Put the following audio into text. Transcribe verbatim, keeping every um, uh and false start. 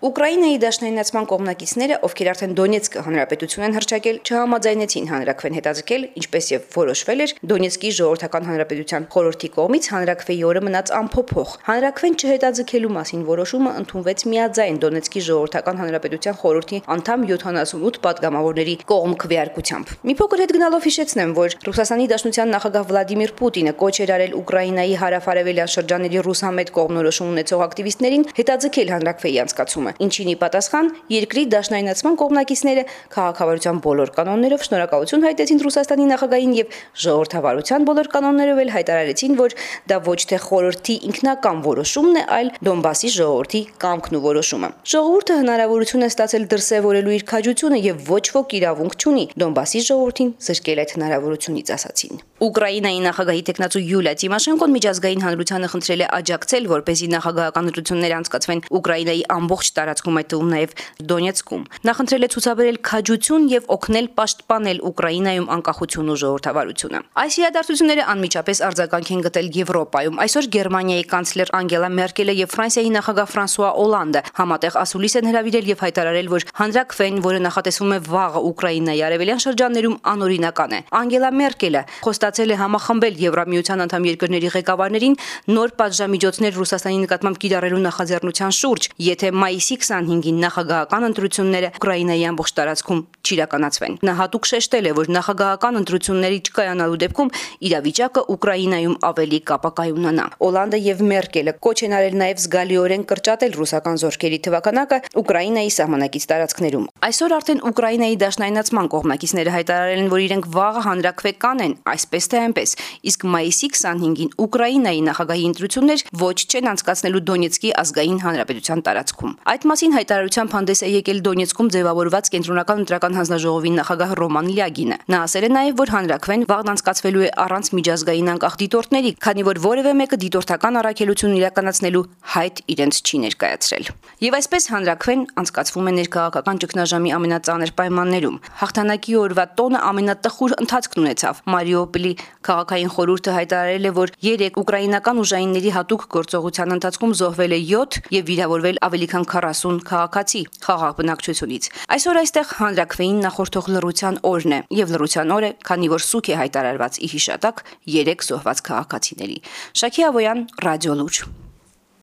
Ուկրաինայի դաշնայնացման կողմնակիցները, ովքեր արդեն Դոնեցկ հանրապետություն են հռչակել, չհամաձայնեցին հանրաքվեն հետաձգել, ինչպես եւ որոշվել էր Դոնեցկի ժողովրդական հանրապետության խորհրդի կողմից հանրաքվեի օրը մնաց անփոփոխ։ Հանրաքվեն չհետաձգելու մասին որոշումը ընդունվեց միաձայն Դոնեցկի ժողովրդական հանրապետության խորհրդի անդամ յոթանասունութ պատգամավորների կողմ քվեարկությամբ։ Մի փոքր հետ գնալով հիշեցնեմ, որ Ռուսաստանի Դաշնության նախագահ Վլադիմիր Պուտինը կոչ էր արել Ուկրաինայի հարավ-արևելյան շրջանների ռուսամետ կողմնորոշում ունեցող ակտիվիստներին հետաձգել հանրաքվեի անցկացումը, ինչին ի պատասխան երկրի դաշնայնացման կողմնակիցները քաղաքավարության բոլոր կանոններով շնորհակալություն հայտեցին Ռուսաստանի նախագահին եւ ժողովրդավարության բոլոր կանոններով էլ հայտարարեցին, որ դա ոչ թե խորհրդի ինքնական որոշումն է, այլ Դոնբասի ժողովրդի կամքն ու որոշումը։ Ժողովուրդը հնարավորություն է ստացել դրսևորելու իր քաջությունը եւ ոչ ոք իրավունք չունի Դոնբասի ժողովրդին զրկել այդ հնարավորությունից, ասացին։ Ուկրաինայի նախագահի տեխնացու Յուլիա Տիմոշենկոն միջազգային հանրությանը խնդրել է աջակցել, որպեսզի նախագահական ընտրություններ անցկացվեն Ուկրաինայի ամբողջ տարածքում, այդ թվում նաև Դոնեցկում։ Նա խնդրել է ցուցաբերել քաջություն եւ օգնել պաշտպանել Ուկրաինայում անկախությունն ու ժողովրդավարությունը։ Այս իրադարձությունները անմիջապես արձագանք են գտել Եվրոպայում։ Այսօր Գերմանիայի կանցլեր Անգելա Մերկելը եւ Ֆրանսիայի նախագահ Ֆրանսուଆ Օլանդը համատեղ ասուլիս են հրավիրել եւ հայտարարել, որ հանրաքվեն, որը նախատեսվում է վաղը Ուկրաինայի արևելյան շրջաններում, անօրինական է։ Անգելա Մերկելը խոստացել է համախմբել Եվրամիության անդամ երկրների ղեկավարներին նոր պատժամիջոցներ Ռուսաստանի նկատմամբ կիրառելու նախաձեռնության շուրջ, եթե մայիսի քսանհինգին նախագահական ընտրությունները Ուկրաինայի ամբողջ տարածքում չիրականացվեն։ Նա հատուկ շեշտել է, որ նախագահական ընտրությունների չկայանալու դեպքում իրավիճակը Ուկրաինայում ավելի կապակայունանա։ Օլանդը եւ Մերկելը կոչ են արել նաեւ զգալիորեն կրճատել ռուսական զորքերի թվականակը Ուկրաինայի սահմանակից տարածքներում։ Այսօր արդեն Ուկրաինայի դաշնայնացման կողմնակիցները հայտարարել են, որ իրենք վաղը հանրաքվե կանեն, այսպես թե այնպես, իսկ մայիսի քսանհինգին Ուկրաինայի նախագահի ընտրություններ ոչ չեն անցկացնելու Դոնեցկի ազգային հանրապետության տարածքում։ Այդ մասին հայտարարությամբ հանդես է եկել Դոնեցկում ձևավորված կենտրոնական ընտրական հանձնաժողովի նախագահ Ռոման Լյագինը։ Նա ասել է նաև, որ հանրաքվեն վաղն անցկացվելու է առանց միջազգային անկախ դիտորդների, քանի որ որևէ մեկը դիտորդական առաքելություն իրականացնելու հայտ իրենց չի ներկայացրել։ Եվ այսպես հանրաքվեն անցկացվում է ներքաղաքական ճգնաժամի ամենածանր պայմաններում։ Հաղթանակի օրվա տոնը ամենատխուր ընթացքն ունեցավ։ Մարիուպոլի քաղաքային խորհուրդը հայտարարել է, որ երեք ուկրաինական ուժայինների հատուկ գործողության ընթացքում զոհվել է յոթ եւ վիրավորվել ավելի քան քառասուն քաղաքացի խաղաղ բնակչությունից։ Այսօր այստեղ հանրաքվեին նախորդող լռության օրն է եւ լռության օր է, քանի որ սուք է հայտարարված ի հիշատակ երեք զոհված քաղաքացիների։ Շաքի Ավոյան, Ռադիո Լուր։